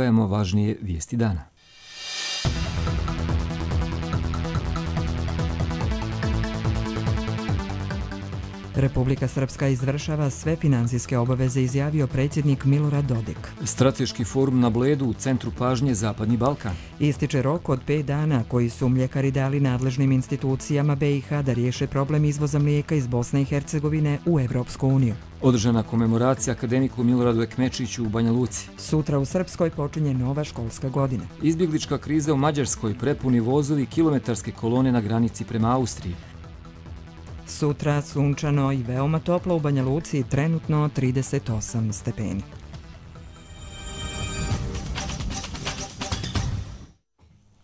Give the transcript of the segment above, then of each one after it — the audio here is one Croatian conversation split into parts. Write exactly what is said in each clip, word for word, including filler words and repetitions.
izdvajamo važnije vijesti dana. Republika Srpska izvršava sve finansijske obaveze, izjavio predsjednik Milorad Dodik. Strateški forum na Bledu u centru pažnje Zapadni Balkan. Ističe rok od pet dana koji su mljekari dali nadležnim institucijama B i H da riješe problem izvoza mlijeka iz Bosne i Hercegovine u Evropsku uniju. Održana komemoracija akademiku Miloradu Ekmečiću u Banja Luci. Sutra u Srpskoj počinje nova školska godina. Izbjeglička kriza u Mađarskoj, prepuni vozovi, kilometarske kolone na granici prema Austriji. Sutra sunčano i veoma toplo u Banja Luci, trenutno trideset osam stepeni.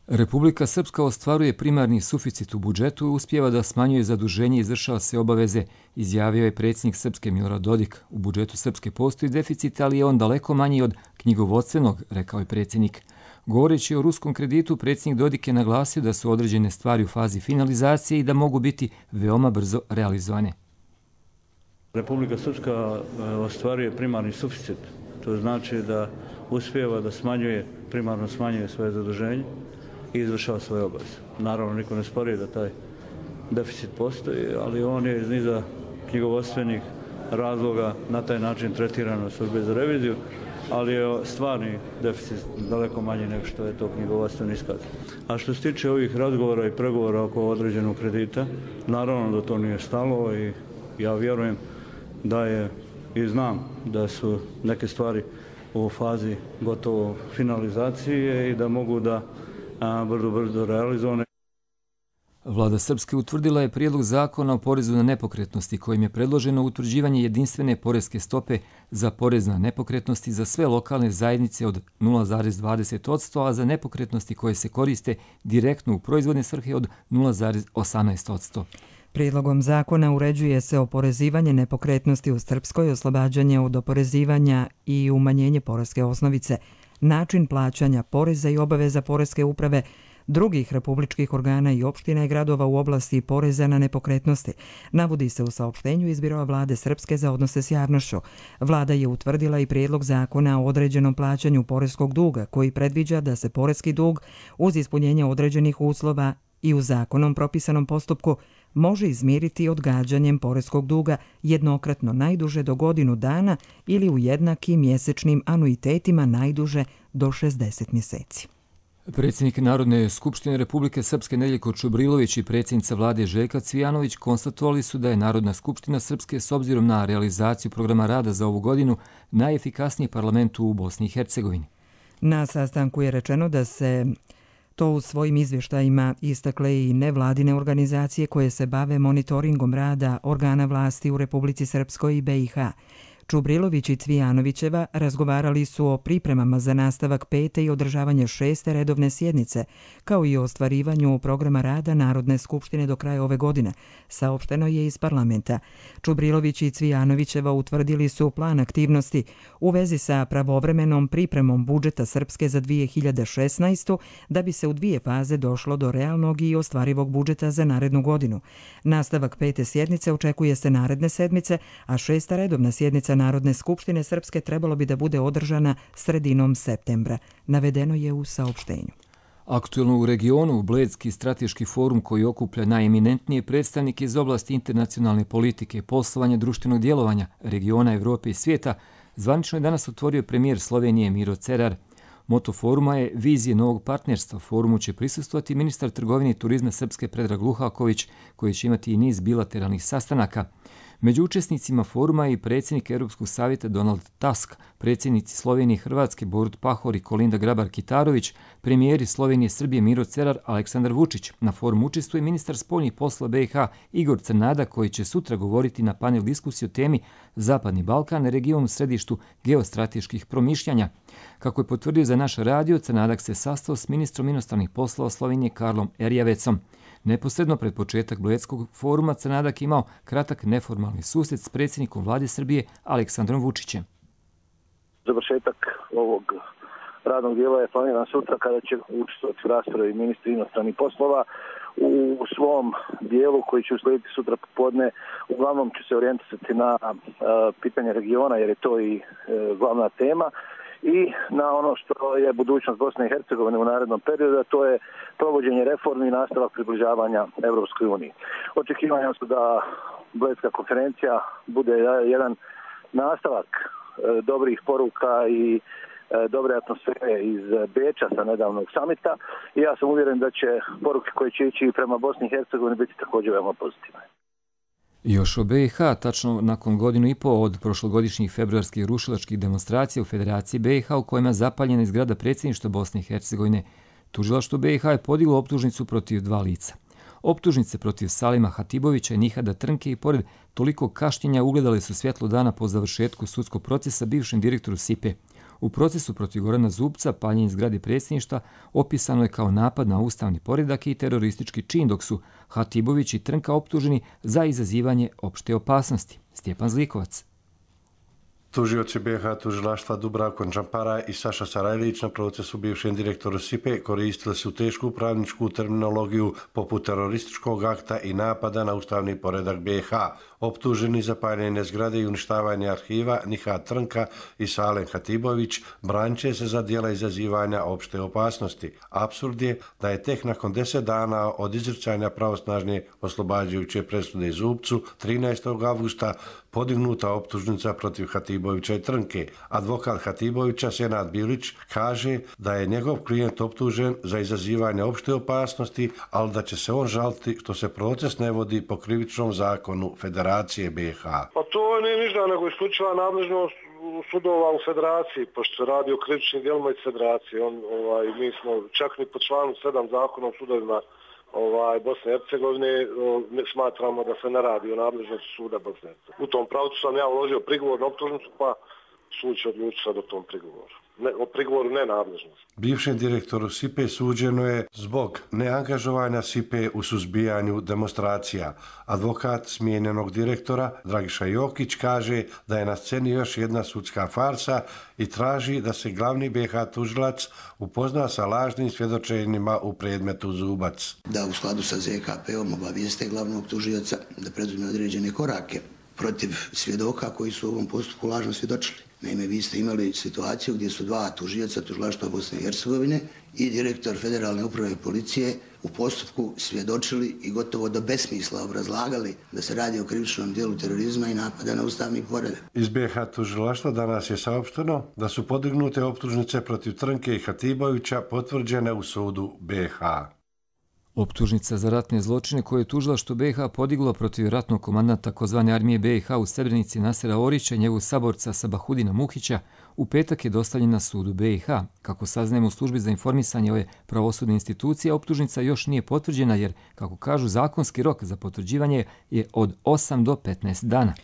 Republika Srpska ostvaruje primarni suficit u budžetu i uspijeva da smanjuje zaduženje i izvršava se obaveze, izjavio je predsjednik Srpske Milorad Dodik. U budžetu Srpske postoji deficit, ali je on daleko manji od knjigovodstvenog, rekao je predsjednik. Govoreći o ruskom kreditu, predsjednik Dodik je naglasio da su određene stvari u fazi finalizacije i da mogu biti veoma brzo realizovane. Republika Srpska ostvaruje primarni suficit. To znači da uspijeva da smanjuje, primarno smanjuje svoje zaduženje i izvršava svoje obaveze. Naravno, niko ne spori da taj deficit postoji, ali on je iz niza knjigovodstvenih razloga na taj način tretiran u službi za reviziju, ali je stvarni deficit daleko manji nego što je to knjigovodstveni iskaz. A što se tiče ovih razgovora i pregovora oko određenog kredita, naravno da to nije stalo i ja vjerujem da je i znam da su neke stvari u fazi gotovo finalizacije i da mogu da brzo brzo realizovane. Vlada Srpske utvrdila je prijedlog zakona o porezu na nepokretnosti kojim je predloženo utvrđivanje jedinstvene poreske stope za porez na nepokretnosti za sve lokalne zajednice od nula zarez dvadeset posto, a za nepokretnosti koje se koriste direktno u proizvodne svrhe od nula zarez osamnaest posto. Prijedlogom zakona uređuje se oporezivanje nepokretnosti u Srpskoj, oslobađanje od oporezivanja i umanjenje poreske osnovice, način plaćanja poreza i obaveza poreske uprave, drugih republičkih organa i opština i gradova u oblasti poreza na nepokretnosti, navodi se u saopštenju iz Biroa Vlade Srpske za odnose s javnošću. Vlada je utvrdila i prijedlog zakona o određenom plaćanju poreskog duga, koji predviđa da se poreski dug uz ispunjenje određenih uslova i u zakonom propisanom postupku može izmiriti odgađanjem poreskog duga jednokratno najduže do godinu dana ili u jednakim mjesečnim anuitetima najduže do šezdeset mjeseci. Predsjednik Narodne skupštine Republike Srpske Nedeljko Čubrilović i predsjednica vlade Željka Cvijanović konstatovali su da je Narodna skupština Srpske s obzirom na realizaciju programa rada za ovu godinu najefikasniji parlament u Bosni i Hercegovini. Na sastanku je rečeno da se to u svojim izvještajima istakle i nevladine organizacije koje se bave monitoringom rada organa vlasti u Republici Srpskoj i B i H. Čubrilović i Cvijanovićeva razgovarali su o pripremama za nastavak pete i održavanje šeste redovne sjednice, kao i o ostvarivanju programa rada Narodne skupštine do kraja ove godine, saopšteno je iz parlamenta. Čubrilović i Cvijanovićeva utvrdili su plan aktivnosti u vezi sa pravovremenom pripremom budžeta Srpske za dvije hiljade šesnaestu da bi se u dvije faze došlo do realnog i ostvarivog budžeta za narednu godinu. Nastavak pete sjednice očekuje se naredne sedmice, a šesta redovna sjednica Narodne skupštine Srpske trebalo bi da bude održana sredinom septembra, navedeno je u saopštenju. Aktuelno u regionu, Bledski strateški forum koji okuplja najeminentnije predstavnike iz oblasti internacionalne politike, poslovanja, društvenog djelovanja, regiona, Evrope i svijeta, zvanično je danas otvorio premijer Slovenije Miro Cerar. Moto foruma je vizije novog partnerstva. Forumu će prisustvovati ministar trgovine i turizma Srpske Predrag Luhaković, koji će imati i niz bilateralnih sastanaka. Među učesnicima foruma je i predsjednik Europskog savjeta Donald Tusk, predsjednici Slovenije i Hrvatske Borut Pahor i Kolinda Grabar-Kitarović, premijeri Slovenije i Srbije Miro Cerar, Aleksandar Vučić. Na forumu učestvuje ministar spoljnih poslova B i H Igor Crnada, koji će sutra govoriti na panel diskusiji o temi Zapadni Balkan, region u središtu geostrateških promišljanja. Kako je potvrdio za naš radio, Crnadak se sastao s ministrom inostranih poslova Slovenije Karlom Erjavecom. Neposredno pred početak Bledskog foruma Crnadak imao kratak neformalni susret s predsjednikom vlade Srbije Aleksandrom Vučićem. Završetak ovog radnog dijela je planiran sutra kada će učestvovati u raspravi ministri inostranih poslova. U svom dijelu koji će uslijediti sutra popodne uglavnom će se orijentisati na uh, pitanje regiona jer je to i uh, glavna tema i na ono što je budućnost Bosne i Hercegovine u narednom periodu, a to je provođenje reformi i nastavak približavanja Europskoj uniji. Očekivanja su da Bledska konferencija bude jedan nastavak dobrih poruka i dobre atmosfere iz Beča sa nedavnog samita i ja sam uvjeren da će poruke koje će ići prema Bosni i Hercegovini biti također veoma pozitivne. Još o B i H, tačno nakon godinu i pol od prošlogodišnjih februarskih rušilačkih demonstracija u Federaciji B i H u kojima je zapaljena zgrada predsjedništva Bosne i Hercegovine, tužilaštvo B i H je podiglo optužnicu protiv dva lica. Optužnice protiv Salima Hatibovića i Nihada Trnke i pored toliko kašnjenja ugledali su svjetlo dana po završetku sudskog procesa bivšem direktoru S I P E. U procesu protiv Gorana Zubca paljenje zgrade predsjedništva opisano je kao napad na ustavni poredak i teroristički čin, dok su Hatibović i Trnka optuženi za izazivanje opšte opasnosti. Stjepan Zlikovac. Tužioci B i H tužilaštva Dubravko Džampara i Saša Sarajlić na procesu bivšem direktoru S I P E koristili su tešku pravničku terminologiju poput terorističkog akta i napada na ustavni poredak B i H. Optuženi za paljenje zgrade i uništavanje arhiva Nihad Trnka i Salem Hatibović branče se za djela izazivanja opšte opasnosti. Apsurd je da je tek nakon deset dana od izricanja pravosnažne oslobađajuće presude Zubcu trinaestog avgusta podignuta optužnica protiv Hatibovića i Trnke. Advokat Hatibovića, Senad Bilić, kaže da je njegov klijent optužen za izazivanje opšte opasnosti, ali da će se on žaliti što se proces ne vodi po krivičnom zakonu Federacije B i H. Pa to nije ništa nego isključiva nadležnost sudova u Federaciji, pošto se radi o krivičnim djelima iz Federacije. On, ovaj, mi smo čak ni po članu sedam zakona o sudovima ovaj, Bosne i Hercegovine smatramo da se ne radi o nadležnosti suda Bosne i Hercegovine. U tom pravcu sam ja uložio prigovor na optužnicu, pa sud će odlučiti sad o tom prigovoru. Ne, o prigovoru nenadležnosti. Bivšem direktoru S I P E suđeno je zbog neangažovanja S I P E u suzbijanju demonstracija. Advokat smijenjenog direktora Dragiša Jokić kaže da je na sceni još jedna sudska farsa i traži da se glavni B i H tužilac upozna sa lažnim svjedočenjima u predmetu Zubac. Da u skladu sa Z K P-om obavijeste glavnog tužioca da preduzme određene korake protiv svjedoka koji su u ovom postupku lažno svjedočili. Naime, vi ste imali situaciju gdje su dva tužioca tužilaštva Bosne i Hercegovine i direktor Federalne uprave policije u postupku svjedočili i gotovo do besmisla obrazlagali da se radi o krivičnom djelu terorizma i napada na ustavni poredak. Iz B i H tužilaštva danas je saopšteno da su podignute optužnice protiv Trnke i Hatibovića potvrđene u sudu B i H. Optužnica za ratne zločine koje je tužilaštvo B i H podiglo protiv ratnog komandanta takozvane armije B i H u Srebrenici Nasera Orića i njegovog saborca Sabahudina Muhića u petak je dostavljena sudu B i H. Kako saznajemo u službi za informisanje ove pravosudne institucije, optužnica još nije potvrđena jer, kako kažu, zakonski rok za potvrđivanje je od osam do petnaest dana.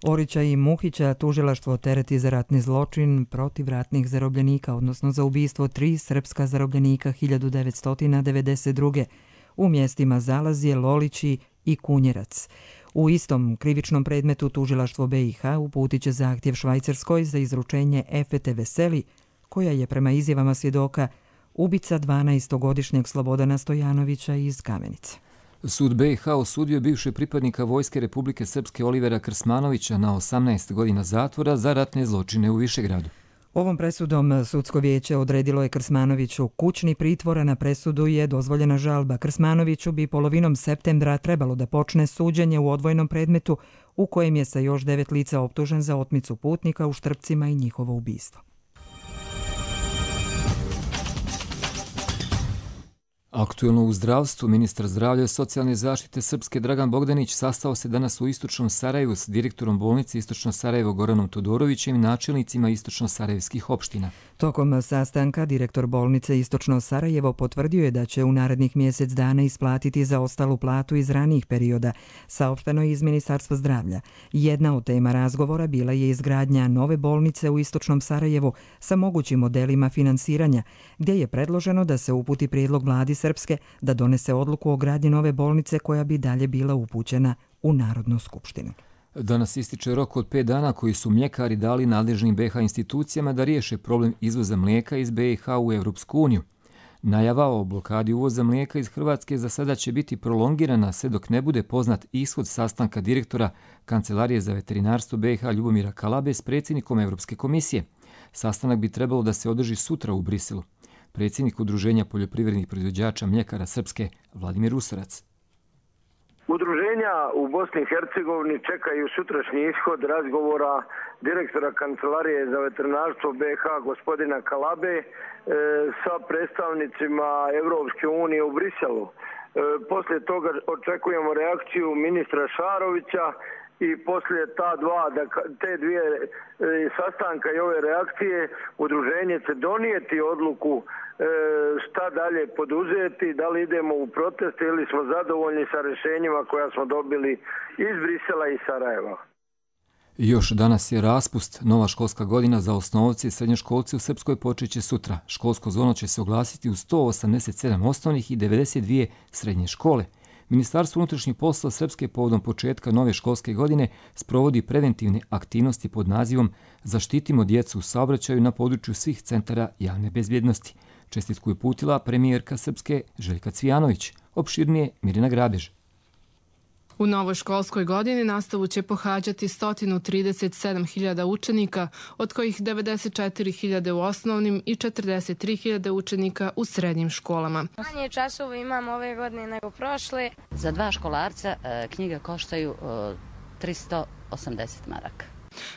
Orića i Muhića tužilaštvo tereti za ratni zločin protiv ratnih zarobljenika, odnosno za ubistvo tri srpska zarobljenika hiljadu devetsto devedeset druge u mjestima Zalazje, Lolići i Kunjerac. U istom krivičnom predmetu tužilaštvo B i H uputit će zahtjev Švajcarskoj za izručenje Efete Veseli, koja je prema izjavama svjedoka ubica dvanaestogodišnjeg Slobodana Stojanovića iz Kamenice. Sud B i H osudio bivšeg pripadnika Vojske Republike Srpske Olivera Krsmanovića na osamnaest godina zatvora za ratne zločine u Višegradu. Ovom presudom sudsko vijeće odredilo je Krsmanoviću kućni pritvor, a na presudu je dozvoljena žalba. Krsmanoviću bi polovinom septembra trebalo da počne suđenje u odvojenom predmetu u kojem je sa još devet lica optužen za otmicu putnika u Štrpcima i njihovo ubistvo. Aktuelno u zdravstvu, ministar zdravlja i socijalne zaštite Srpske Dragan Bogdanić sastao se danas u Istočnom Sarajevu s direktorom bolnice Istočno Sarajevo Goranom Todorovićem i načelnicima istočno-sarajevskih opština. Tokom sastanka direktor bolnice Istočno Sarajevo potvrdio je da će u narednih mjesec dana isplatiti zaostalu platu iz ranijih perioda, saopšteno je iz Ministarstva zdravlja. Jedna od tema razgovora bila je izgradnja nove bolnice u Istočnom Sarajevu sa mogućim modelima finansiranja, gdje je predloženo da se uputi prijedlog vladi Srpske da donese odluku o gradnji nove bolnice koja bi dalje bila upućena u Narodnu skupštinu. Danas ističe rok od pet dana koji su mljekari dali nadležnim B i H institucijama da riješe problem izvoza mlijeka iz B i H u Europsku uniju. Najava o blokadi uvoza mlijeka iz Hrvatske za sada će biti prolongirana sve dok ne bude poznat ishod sastanka direktora Kancelarije za veterinarstvo B i H Ljubomira Kalabe s predsjednikom Europske komisije. Sastanak bi trebalo da se održi sutra u Briselu. Predsjednik Udruženja poljoprivrednih proizvođača mljekara Srpske, Vladimir Usarac. Udruženja u Bosni i Hercegovini čekaju sutrašnji ishod razgovora direktora Kancelarije za veterinarstvo B iH gospodina Kalabe e, sa predstavnicima Evropske unije u Briselu. E, poslije toga očekujemo reakciju ministra Šarovića i poslije ta dva, da, te dvije e, sastanka i ove reakcije udruženje će donijeti odluku e, šta dalje poduzeti, da li idemo u proteste ili smo zadovoljni sa rješenjima koja smo dobili iz Brisela i Sarajeva. Još danas je raspust. Nova školska godina za osnovce i srednjoškolce u Srpskoj počeće sutra. Školsko zvono će se oglasiti u sto osamdeset sedam osnovnih i devedeset dvije srednje škole. Ministarstvo unutrašnjih poslova Srpske povodom početka nove školske godine sprovodi preventivne aktivnosti pod nazivom Zaštitimo djecu u saobraćaju na području svih centara javne bezbjednosti. Čestitku je uputila premijerka Srpske Željka Cvijanović. Opširnije Mirjana Grabež. U novoj školskoj godini nastavu će pohađati sto trideset sedam hiljada učenika, od kojih devedeset četiri hiljade u osnovnim i četrdeset tri hiljade učenika u srednjim školama. Manje časova imamo ove godine nego prošle. Za dva školarca knjige koštaju tristo osamdeset maraka.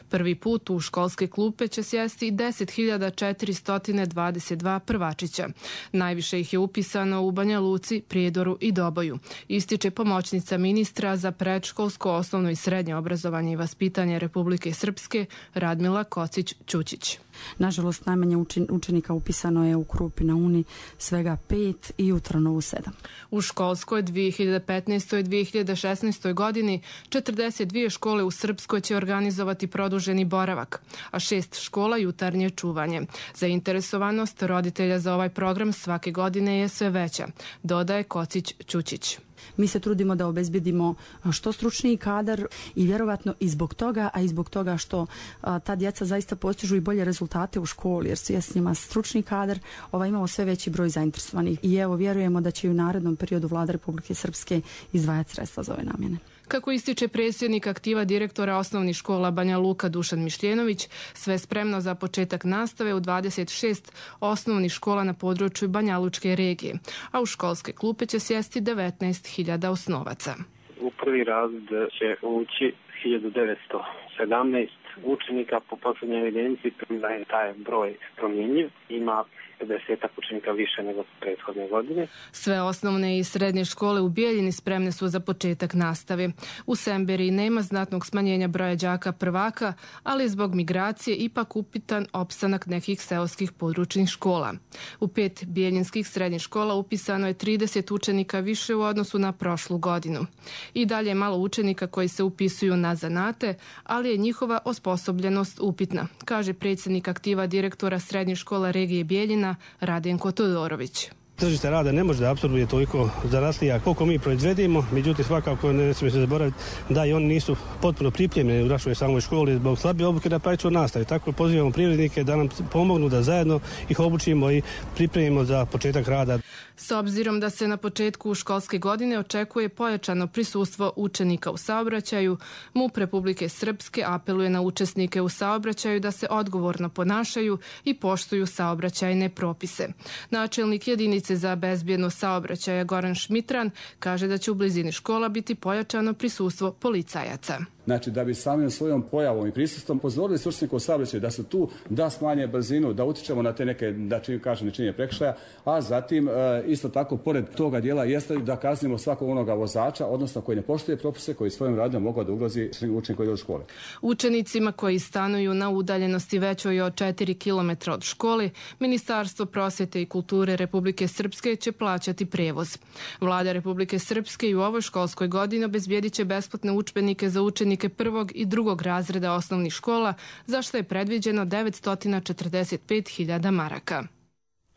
Prvi put u školske klupe će sjesti deset hiljada četiristo dvadeset dva prvačića. Najviše ih je upisano u Banja Luci, Prijedoru i Doboju. Ističe pomoćnica ministra za predškolsko, osnovno i srednje obrazovanje i vaspitanje Republike Srpske Radmila Kocić-Ćućić. Nažalost, najmanje učenika upisano je u Krupi na Uni, svega pet i u Trnovu sedam. U školskoj dvije hiljade petnaestoj. i dvije hiljade šesnaestoj. godini četrdeset dvije škole u Srpskoj će organizovati produženi boravak, a šest škola jutarnje čuvanje. Zainteresovanost roditelja za ovaj program svake godine je sve veća, dodaje Kocić-Ćućić. Mi se trudimo da obezbedimo što stručniji kadar i vjerovatno i zbog toga, a i zbog toga što a, ta djeca zaista postižu i bolje rezultate u školi, jer je s njima stručni kadar, ovaj, imamo sve veći broj zainteresovanih. I evo, vjerujemo da će i u narednom periodu Vlada Republike Srpske izdvajati sredstva za ove namjene. Kako ističe predsjednik aktiva direktora osnovnih škola Banja Luka Dušan Mišljenović, sve spremno za početak nastave u dvadeset šest osnovnih škola na području Banja Lučke regije, a u školske klupe će sjesti devetnaest hiljada osnovaca. U prvi razred će ući hiljadu devetsto sedamnaest učenika, po posljednjoj evidenciji premda je taj broj promjenjiv, ima pedeset učenika više nego prethodne godine. Sve osnovne i srednje škole u Bijeljini spremne su za početak nastave. U Semberiji nema znatnog smanjenja broja đaka prvaka, ali zbog migracije ipak upitan opstanak nekih seoskih područnih škola. U pet bijeljinskih srednjih škola upisano je trideset učenika više u odnosu na prošlu godinu. I dalje je malo učenika koji se upisuju na zanate, ali je njihova osposobljenost upitna, kaže predsjednik aktiva direktora srednje škola regije Bijeljina Radenko Todorović. Tržište rada ne može da apsorbuje toliko zaraslija koliko mi proizvedimo, međutim svakako ne smije se zaboraviti da i oni nisu potpuno pripremljeni u našoj samoj školi zbog slabije obuke na praktičnoj nastavi. Tako pozivamo privrednike da nam pomognu da zajedno ih obučimo i pripremimo za početak rada. S obzirom da se na početku školske godine očekuje pojačano prisustvo učenika u saobraćaju, MUP Republike Srpske apeluje na učesnike u saobraćaju da se odgovorno ponašaju i poštuju saobraćajne propise. Načelnik jedinice za bezbjednost saobraćaja Goran Šmitran kaže da će u blizini škola biti pojačano prisustvo policajaca. Znači, da bi samim svojom pojavom i prisustvom pozorili stručnjaka u saobraćaju da su tu, da smanje brzinu, da utičemo na te neke, da čim kažem, nečinjenje prekršaja, a zatim e, isto tako, pored toga dijela, jeste da kaznimo svakog onoga vozača, odnosno koji ne poštuje propise, koji svojim radom mogu da ugrozi učenika koji idu u škole. Učenicima koji stanuju na udaljenosti većoj od četiri kilometra od škole, Ministarstvo prosvjete i kulture Republike Srpske će plaćati prevoz. Vlada Republike Srpske i u ovoj školskoj godini obezbijedit će besplatne udžbenike za učenike prvog i drugog razreda osnovnih škola, za što je predviđeno devetsto četrdeset pet hiljada maraka.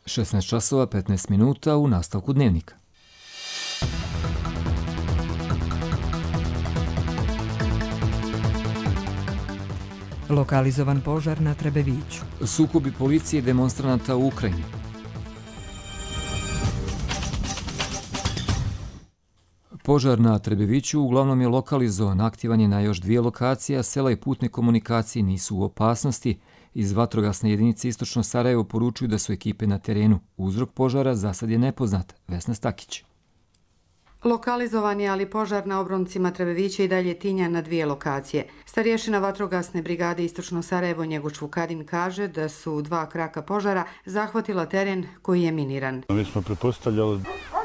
šesnaest časova petnaest minuta u nastavku dnevnika. Lokalizovan požar na Trebeviću. Sukobi policije i demonstranata u Ukrajini. Požar na Trebeviću uglavnom je lokalizovan, aktivan je na još dvije lokacije, a sela i putne komunikacije nisu u opasnosti, Iz vatrogasne jedinice Istočno Sarajevo poručuju da su ekipe na terenu. Uzrok požara za sad je nepoznat. Vesna Stakić. Lokalizovan je, ali požar na obroncima Trebevića i dalje tinja na dvije lokacije. Starješina vatrogasne brigade Istočno Sarajevo Njegoš Vukadin kaže da su dva kraka požara zahvatila teren koji je miniran. Mi smo pretpostavljali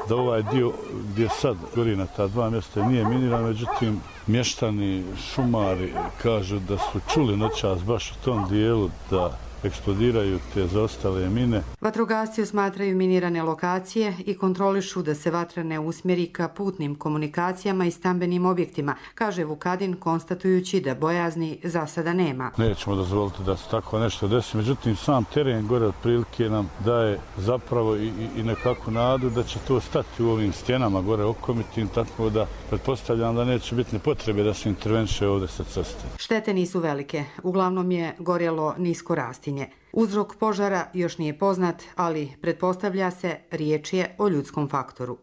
da ovaj dio gdje sad gori na ta dva mjesta nije miniran, međutim mještani, šumari kažu da su čuli noćas baš u tom dijelu da eksplodiraju te zaostale mine. Vatrogasci osmatraju minirane lokacije i kontrolišu da se vatra ne usmjeri ka putnim komunikacijama i stambenim objektima, kaže Vukadin, konstatujući da bojazni za sada nema. Nećemo dozvoliti da se tako nešto desi, međutim sam teren gore otprilike nam daje zapravo i, i nekakvu nadu da će to stati u ovim stjenama gore okomitim, tako da pretpostavljam da neće biti ni potrebe da se intervenše ovdje sa ceste. Štete nisu velike, uglavnom je gorjelo nisko rastinje. Uzrok požara još nije poznat, ali pretpostavlja se riječ je o ljudskom faktoru.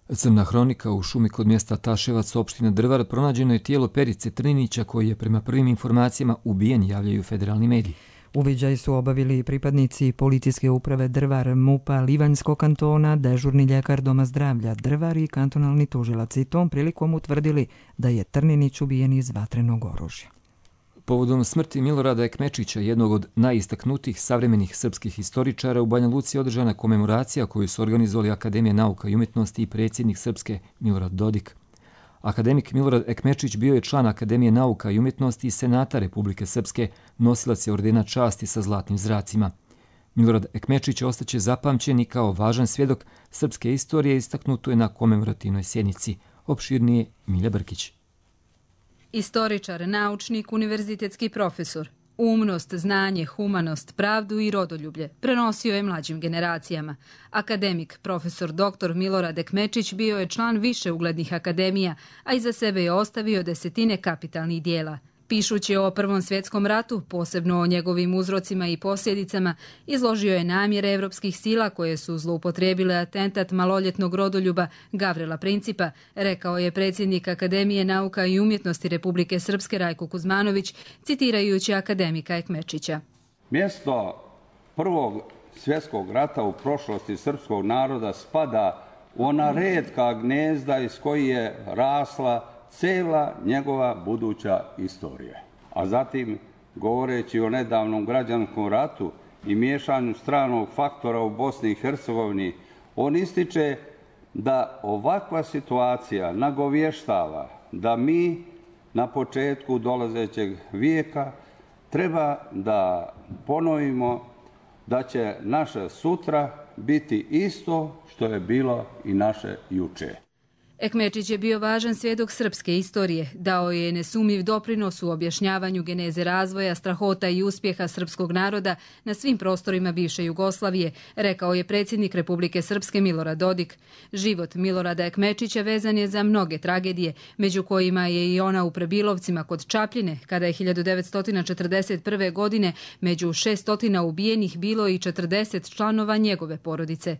Crna hronika u šumi kod mjesta Taševac, opština Drvar, pronađeno je tijelo Perice Trninića koji je prema prvim informacijama ubijen, javljaju federalni mediji. Uviđaj su obavili pripadnici policijske uprave Drvar, M U P-a Livanjskog kantona, dežurni ljekar Doma zdravlja Drvar i kantonalni tužilac, i tom prilikom utvrdili da je Trninić ubijen iz vatrenog oružja. Povodom smrti Milorada Ekmečića, jednog od najistaknutijih savremenih srpskih historičara, u Banja Luci je održana komemoracija koju su organizovali Akademija nauka i umjetnosti i predsjednik Srpske Milorad Dodik. Akademik Milorad Ekmečić bio je član Akademije nauka i umjetnosti i Senata Republike Srpske, nosilac je ordena časti sa zlatnim zracima. Milorad Ekmečić ostaće zapamćen i kao važan svjedok srpske istorije, istaknuto je na komemorativnoj sjednici. Opširnije Milja Brkić. Istoričar, naučnik, univerzitetski profesor. Umnost, znanje, humanost, pravdu i rodoljublje prenosio je mlađim generacijama. Akademik, profesor doktor Milorad Ekmečić bio je član više uglednih akademija, a iza sebe je ostavio desetine kapitalnih dijela. Pišući o Prvom svjetskom ratu, posebno o njegovim uzrocima i posljedicama, izložio je namjere evropskih sila koje su zloupotrijebile atentat maloljetnog rodoljuba Gavrila Principa, rekao je predsjednik Akademije nauka i umjetnosti Republike Srpske Rajko Kuzmanović, citirajući akademika Ekmečića. Mjesto Prvog svjetskog rata u prošlosti srpskog naroda spada u ona retka gnezda iz koji je rasla cijela njegova buduća istorija. A zatim, govoreći o nedavnom građanskom ratu i miješanju stranog faktora u Bosni i Hercegovini, on ističe da ovakva situacija nagovještava da mi na početku dolazećeg vijeka treba da ponovimo da će naše sutra biti isto što je bilo i naše juče. Ekmečić je bio važan svjedok srpske istorije, dao je nesumnjiv doprinos u objašnjavanju geneze razvoja, strahota i uspjeha srpskog naroda na svim prostorima bivše Jugoslavije, rekao je predsjednik Republike Srpske Milorad Dodik. Život Milorada Ekmečića vezan je za mnoge tragedije, među kojima je i ona u Prebilovcima kod Čapljine, kada je hiljadu devetsto četrdeset prve. godine među šesnaest ubijenih bilo i četrdeset članova njegove porodice.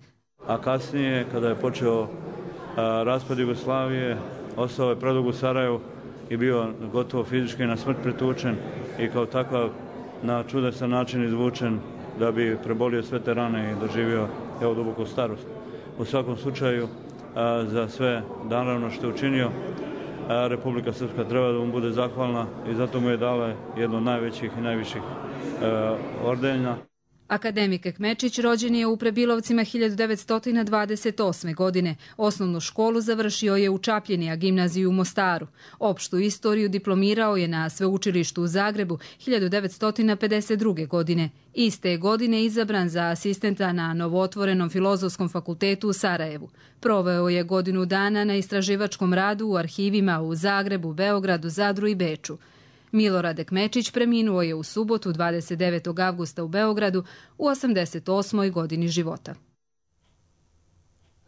A kasnije, kada je počeo raspad Jugoslavije, ostao je predugo u Sarajevu i bio gotovo fizički na smrt pretučen i kao takav na čudesan način izvučen da bi prebolio sve te rane i doživio evo duboku starost. U svakom slučaju, za sve naravno što je učinio, Republika Srpska treba da mu bude zahvalna i zato mu je dala jedno od najvećih i najviših ordenja. Akademik Ekmečić rođen je u Prebilovcima hiljadu devetsto dvadeset osme. godine. Osnovnu školu završio je u Čapljini, a gimnaziju u Mostaru. Opštu istoriju diplomirao je na sveučilištu u Zagrebu hiljadu devetsto pedeset druge. godine. Iste godine izabran za asistenta na novootvorenom Filozofskom fakultetu u Sarajevu. Proveo je godinu dana na istraživačkom radu u arhivima u Zagrebu, Beogradu, Zadru i Beču. Milorad Ekmečić preminuo je u subotu dvadeset devetog avgusta u Beogradu u osamdeset osmoj. godini života.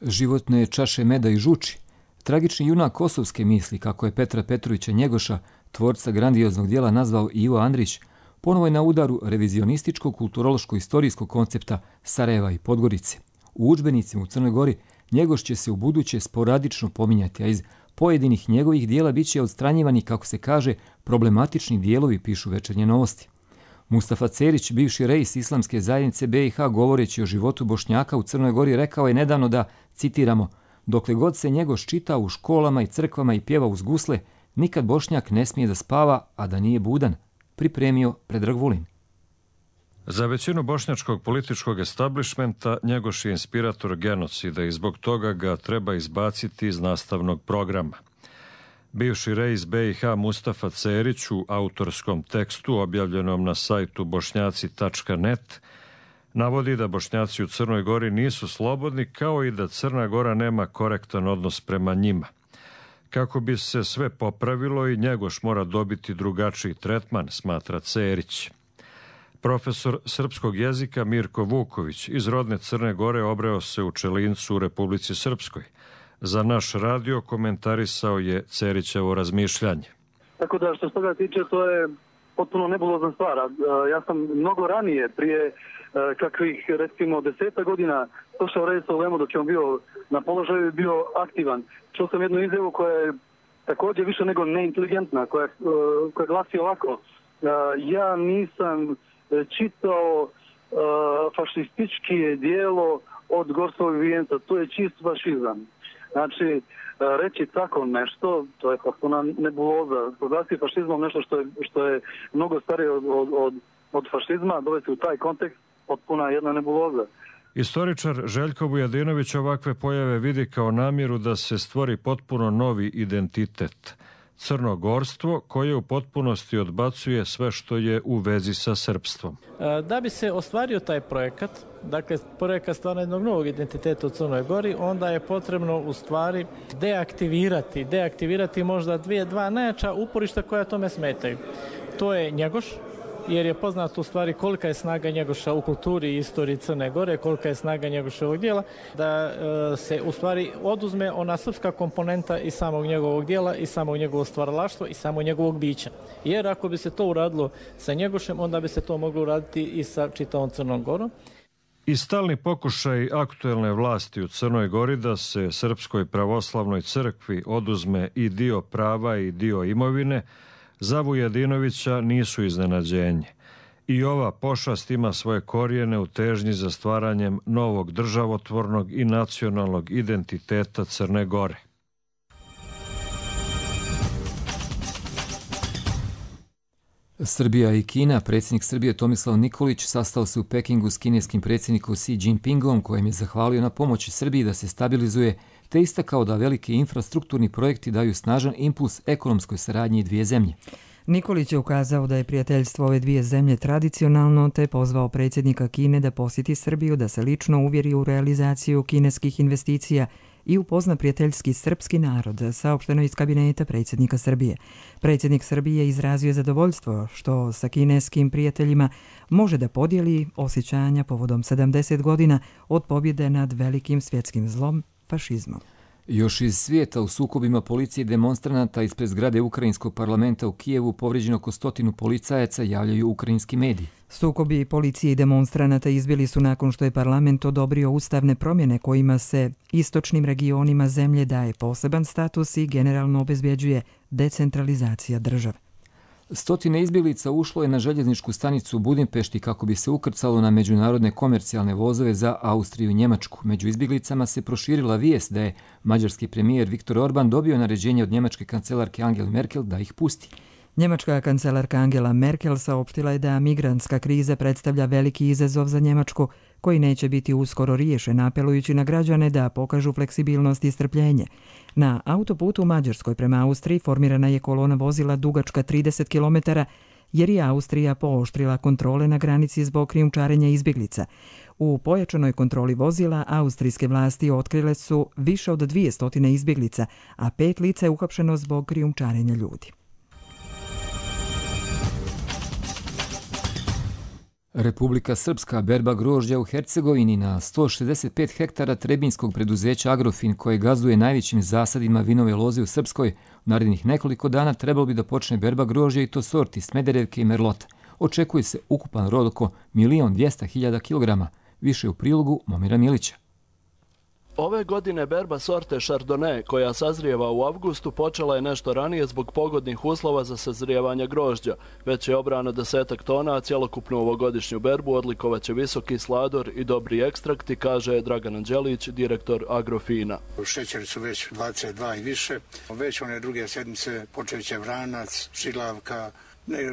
Životne čaše meda i žuči. Tragični junak kosovske misli, kako je Petra Petrovića Njegoša, tvorca grandioznog dijela, nazvao Ivo Andrić, ponovo je na udaru revizionističkog kulturološko-istorijskog koncepta Sarajeva i Podgorice. U udžbenicima u Crnoj Gori Njegoš će se u buduće sporadično pominjati, a iz pojedinih njegovih dijela bit će odstranjivani, kako se kaže, problematični dijelovi, pišu Večernje novosti. Mustafa Cerić, bivši reis Islamske zajednice B i H, govoreći o životu Bošnjaka u Crnoj Gori, rekao je nedavno da, citiramo, dokle god se Njegoš čita u školama i crkvama i pjeva uz gusle, nikad Bošnjak ne smije da spava, a da nije budan, pripremio Predrag Vulin. Za većinu bošnjačkog političkog establishmenta Njegoš je inspirator genocida i zbog toga ga treba izbaciti iz nastavnog programa. Bivši reis B i H Mustafa Cerić u autorskom tekstu objavljenom na sajtu bošnjaci tačka net navodi da Bošnjaci u Crnoj Gori nisu slobodni, kao i da Crna Gora nema korektan odnos prema njima. Kako bi se sve popravilo, i Njegoš mora dobiti drugačiji tretman, smatra Cerić. Profesor srpskog jezika Mirko Vuković iz rodne Crne Gore obreo se u Čelincu u Republici Srpskoj. Za naš radio komentarisao je Cerićevo razmišljanje. Tako da što se toga tiče, to je potpuno nebulozna stvar. Ja sam mnogo ranije, prije kakvih recimo deseta godina, došao rediti u Lemu dok je on bio na položaju i bio aktivan. Čuo sam jednu izjavu koja je također više nego neinteligentna, koja, koja glasi ovako. Ja nisam čitao fašistički dijelo od Gorskog vijenca, to je čist fašizam. Znači, reći tako nešto, to je potpuna nebuloza. Proglasiti fašizmom nešto što je, što je mnogo starije od, od, od fašizma, dovesti u taj kontekst, potpuna jedna nebuloza. Istoričar Željko Vujadinović ovakve pojave vidi kao namjeru da se stvori potpuno novi identitet. Crnogorstvo koje u potpunosti odbacuje sve što je u vezi sa srpstvom. Da bi se ostvario taj projekat, dakle projekat stvaranja jednog novog identiteta u Crnoj Gori, onda je potrebno u stvari deaktivirati, deaktivirati možda dvije, dva najjača uporišta koja tome smetaju. To je Njegoš, jer je poznato u stvari kolika je snaga Njegoša u kulturi i istoriji Crne Gore, kolika je snaga Njegoševog dijela, da e, se u stvari oduzme ona srpska komponenta i samog njegovog dijela i samog njegovog stvaralaštva i samog njegovog bića. Jer ako bi se to uradilo sa Njegošem, onda bi se to moglo uraditi i sa čitavom Crnom Gorom. I stalni pokušaj aktuelne vlasti u Crnoj Gori da se Srpskoj pravoslavnoj crkvi oduzme i dio prava i dio imovine za Vujadinovića nisu iznenađenje. I ova pošast ima svoje korijene u težnji za stvaranjem novog državotvornog i nacionalnog identiteta Crne Gore. Srbija i Kina. Predsjednik Srbije Tomislav Nikolić sastao se u Pekingu s kineskim predsjednikom Xi Jinpingom, kojem je zahvalio na pomoći Srbiji da se stabilizuje, te istakao da veliki infrastrukturni projekti daju snažan impuls ekonomskoj saradnji dvije zemlje. Nikolić je ukazao da je prijateljstvo ove dvije zemlje tradicionalno, te pozvao predsjednika Kine da posjeti Srbiju, da se lično uvjeri u realizaciju kineskih investicija i upozna prijateljski srpski narod, saopšteno iz kabineta predsjednika Srbije. Predsjednik Srbije izrazio zadovoljstvo što sa kineskim prijateljima može da podijeli osjećanja povodom sedamdeset godina od pobjede nad velikim svjetskim zlom, fašizmom. Još iz svijeta u sukobima policije i demonstranata ispred zgrade Ukrajinskog parlamenta u Kijevu povrijeđeno oko stotinu policajaca, javljaju ukrajinski mediji. Sukobi policije i demonstranata izbili su nakon što je parlament odobrio ustavne promjene kojima se istočnim regionima zemlje daje poseban status i generalno obezbjeđuje decentralizacija države. Stotine izbjeglica ušlo je na željezničku stanicu u Budimpešti kako bi se ukrcalo na međunarodne komercijalne vozove za Austriju i Njemačku. Među izbjeglicama se proširila vijest da je mađarski premijer Viktor Orban dobio naređenje od njemačke kancelarke Angele Merkel da ih pusti. Njemačka kancelarka Angela Merkel saopštila je da migrantska kriza predstavlja veliki izazov za Njemačku, koji neće biti uskoro riješen, apelujući na građane da pokažu fleksibilnost i strpljenje. Na autoputu u Mađarskoj prema Austriji formirana je kolona vozila dugačka trideset kilometara, jer je Austrija pooštrila kontrole na granici zbog krijumčarenja izbjeglica. U pojačanoj kontroli vozila austrijske vlasti otkrile su više od dvije stotine izbjeglica, a pet lica je uhapšeno zbog krijumčarenja ljudi. Republika Srpska berba grožđa u Hercegovini na sto šezdeset pet hektara trebinskog preduzeća Agrofin, koje gazduje najvećim zasadima vinove loze u Srpskoj, u narednih nekoliko dana trebalo bi da počne berba grožđa i to sorti Smederevke i Merlota. Očekuje se ukupan rod oko milion dvjesto hiljada kilograma, više u prilogu Momira Milića. Ove godine berba sorte Chardonnay, koja sazrijeva u avgustu, počela je nešto ranije zbog pogodnih uslova za sazrijevanje grožđa. Već je obrano desetak tona, a cjelokupnu ovogodišnju berbu odlikovaće visoki slador i dobri ekstrakti, kaže Dragan Anđelić, direktor Agrofina. Šećeri su već dvadeset dva i više. Već one druge sedmice počet će vranac, šilavka,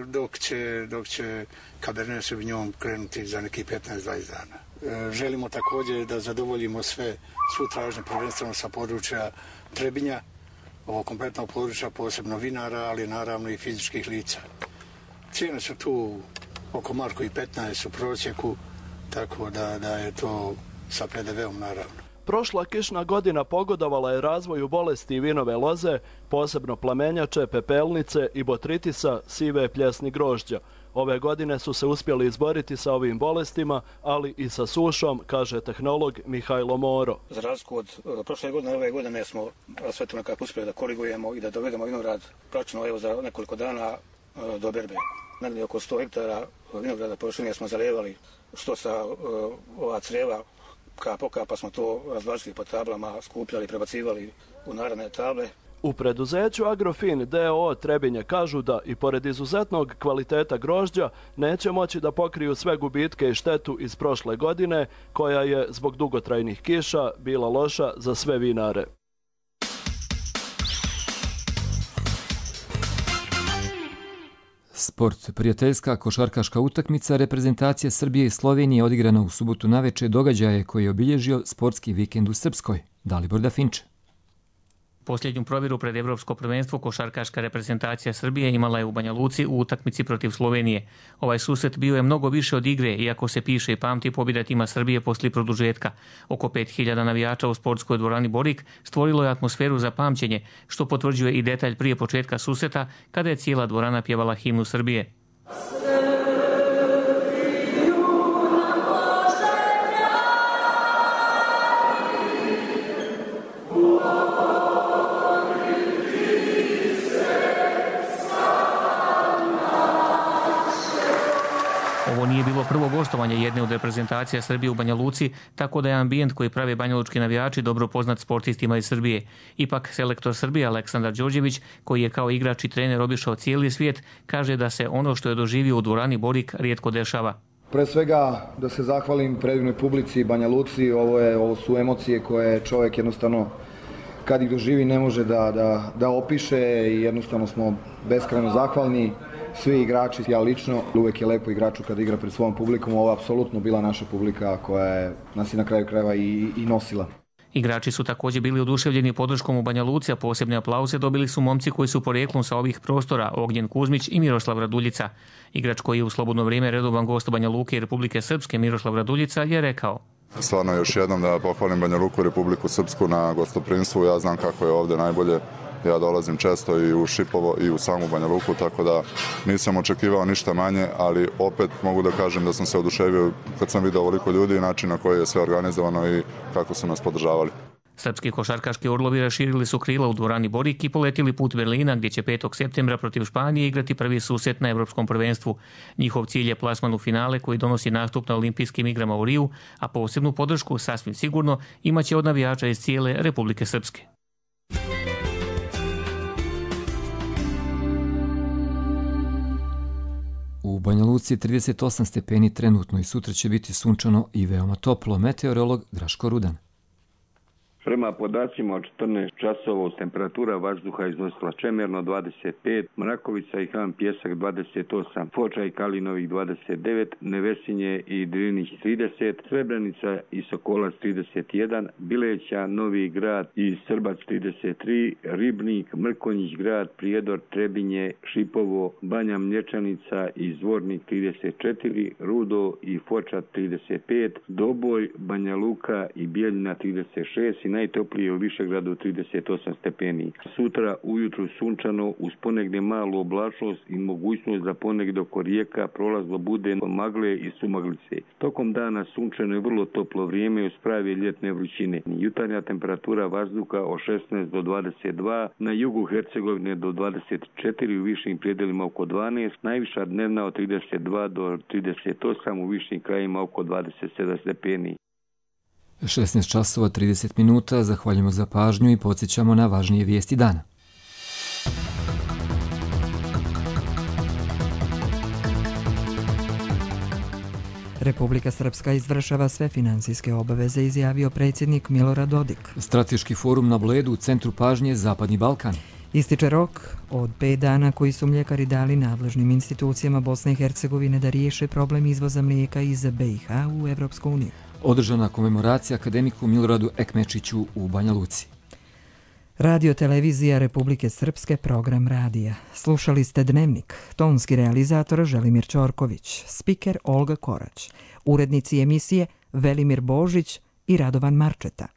dok će, dok će Cabernet Sauvignon krenuti za neki petnaest do dvadeset dana. Želimo također da zadovoljimo sve svu tražnju, prvenstveno sa područja Trebinja, ovo kompletnog područja, posebno vinara, ali naravno i fizičkih lica. Cijene su tu oko marku i petnaest u prosjeku, tako da, da je to sa P D V-om naravno. Prošla kišna godina pogodovala je razvoju bolesti vinove loze, posebno plamenjače, pepelnice i botritisa, sive pljesni grožđa. Ove godine su se uspjeli izboriti sa ovim bolestima, ali i sa sušom, kaže tehnolog Mihajlo Moro. Za razliku od prošle godine, ove godine smo sve to nekako uspjeli da korigujemo i da dovedemo vinograd praktično evo za nekoliko dana do berbe. Negdje oko sto hektara vinograda površine smo zalijevali, što sa ova creva kap po kap, pa smo to razvlačili po tablama, skupljali, prebacivali u naredne table. U preduzeću Agrofin D O O Trebinje kažu da i pored izuzetnog kvaliteta grožđa neće moći da pokriju sve gubitke i štetu iz prošle godine, koja je zbog dugotrajnih kiša bila loša za sve vinare. Sport. Prijateljska košarkaška utakmica reprezentacije Srbije i Slovenije odigrana u subotu naveče događaje koji je obilježio sportski vikend u Srpskoj. Dalibor Dafinče. Posljednju provjeru pred Evropsko prvenstvo košarkaška reprezentacija Srbije imala je u Banja Luci u utakmici protiv Slovenije. Ovaj susret bio je mnogo više od igre, iako se piše i pamti pobjeda tima Srbije poslije produžetka. Oko pet hiljada navijača u sportskoj dvorani Borik stvorilo je atmosferu za pamćenje, što potvrđuje i detalj prije početka susreta, kada je cijela dvorana pjevala himnu Srbije. Ovo nije bilo prvo gostovanje jedne od reprezentacija Srbije u Banja Luci, tako da je ambijent koji prave banjalučki navijači dobro poznat sportistima iz Srbije. Ipak, selektor Srbije Aleksandar Đorđević, koji je kao igrač i trener obišao cijeli svijet, kaže da se ono što je doživio u dvorani Borik rijetko dešava. Pre svega da se zahvalim predivnoj publici Banja Luci, ovo, je, ovo su emocije koje čovjek jednostavno kad ih doživi ne može da, da, da opiše i jednostavno smo beskrajno zahvalni. Svi igrači, ja lično, uvijek je lepo igraču kad igra pred svojom publikom, ovo je apsolutno bila naša publika koja je nas i na kraju krajeva i, i nosila. Igrači su također bili oduševljeni podrškom u Banja Luci, a posebne aplauze dobili su momci koji su porijeklom sa ovih prostora, Ognjen Kuzmić i Miroslav Raduljica. Igrač koji je u slobodno vrijeme redovan gost Banja Luke i Republike Srpske, Miroslav Raduljica, je rekao: Stvarno još jednom da pohvalim Banja Luku i Republiku Srpsku na gostoprinstvu. Ja znam kako je ovdje najbolje. Ja dolazim često i u Šipovo i u samu Banja Luku, tako da nisam očekivao ništa manje, ali opet mogu da kažem da sam se oduševio kad sam vidio ovoliko ljudi i način na koji je sve organizovano i kako su nas podržavali. Srpski košarkaški orlovi raširili su krila u dvorani Borik i poletili put Berlina, gdje će petog septembra protiv Španije igrati prvi susret na Evropskom prvenstvu. Njihov cilj je plasman u finale koji donosi nastup na olimpijskim igrama u Riju, a posebnu podršku, sasvim sigurno, imaće od navijača iz cijele Republike Srpske. U Banja Luci je trideset osam stepeni trenutno i sutra će biti sunčano i veoma toplo. Meteorolog Draško Rudan. Prema podacima od četrnaest časova temperatura vazduha iznosila Čemerno dvadeset pet, Mrakovica i Han Pjesak dvadeset osam, Foča i Kalinovih dvadeset devet, Nevesinje i Drinić trideset, Srebrenica i Sokolac trideset jedan, Bileća, Novi Grad i Srbac trideset tri, Ribnik, Mrkonjić Grad, Prijedor, Trebinje, Šipovo, Banja Mlječanica i Zvornik trideset četiri, Rudo i Foča trideset pet, Doboj, Banja Luka i Bijeljina trideset šest i najtoplije u Višegradu trideset osam stepeni. Sutra ujutru sunčano uz ponegdje malu oblačnost i mogućnost da ponegdje oko rijeka prolazno bude magle i sumaglice. Tokom dana sunčano je vrlo toplo vrijeme uz prave ljetne vrućine. Jutarnja temperatura vazduha od šesnaest do dvadeset dva, na jugu Hercegovine do dvadeset četiri, u višim predjelima oko dvanaest, najviša dnevna od trideset dva do trideset osam, u višim krajima oko dvadeset sedam stepeni. šesnaest časova trideset minuta, zahvaljujemo za pažnju i podsjećamo na važnije vijesti dana. Republika Srpska izvršava sve financijske obaveze, izjavio predsjednik Milorad Dodik. Strateški forum na Bledu u centru pažnje Zapadni Balkan. Ističe rok od pet dana koji su mljekari dali nadležnim institucijama Bosne i Hercegovine da riješe problem izvoza mlijeka iz B i H u Evropsku uniju. Održana komemoracija akademiku Miloradu Ekmečiću u Banja Luci. Radio televizija Republike Srpske, program radija. Slušali ste Dnevnik, tonski realizator Želimir Ćorković, spiker Olga Korać, urednici emisije Velimir Božić i Radovan Marčeta.